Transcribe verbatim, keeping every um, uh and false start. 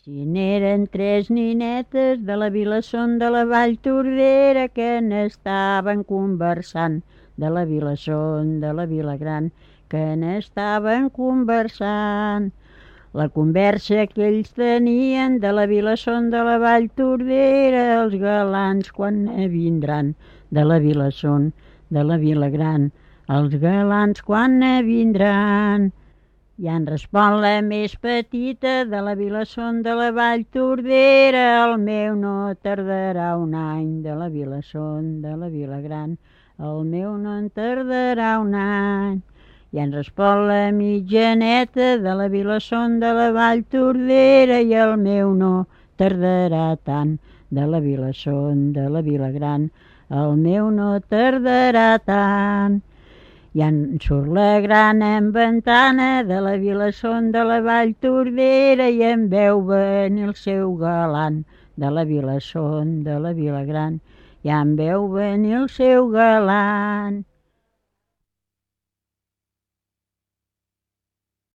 Si n'eren tres ninetes de la Vilassón de la Vall Tordera que n'estaven conversant, de la Vilassón de la Vilagran, que n'estaven conversant. La conversa que ells tenien de la Vilassón de la Vall Tordera, els galants quan ne vindran, de la Vilassón de la Vilagran, els galants quan ne vindran. I en respon la més petita de la Vilassón de la Vall Tordera, el meu no tardarà un any, de la Vilassón de la Vilagran, el meu no en tardarà un any. I en respon la mitjaneta de la Vilassón de la Vall Tordera, i el meu no tardarà tant, de la Vilassón de la Vilagran, el meu no tardarà tant. I en surt la gran ventana de la Vilassón de la Vall Tordera i en veu venir el seu galant, de la Vilassón de la Vilagran, i en veu venir el seu galant.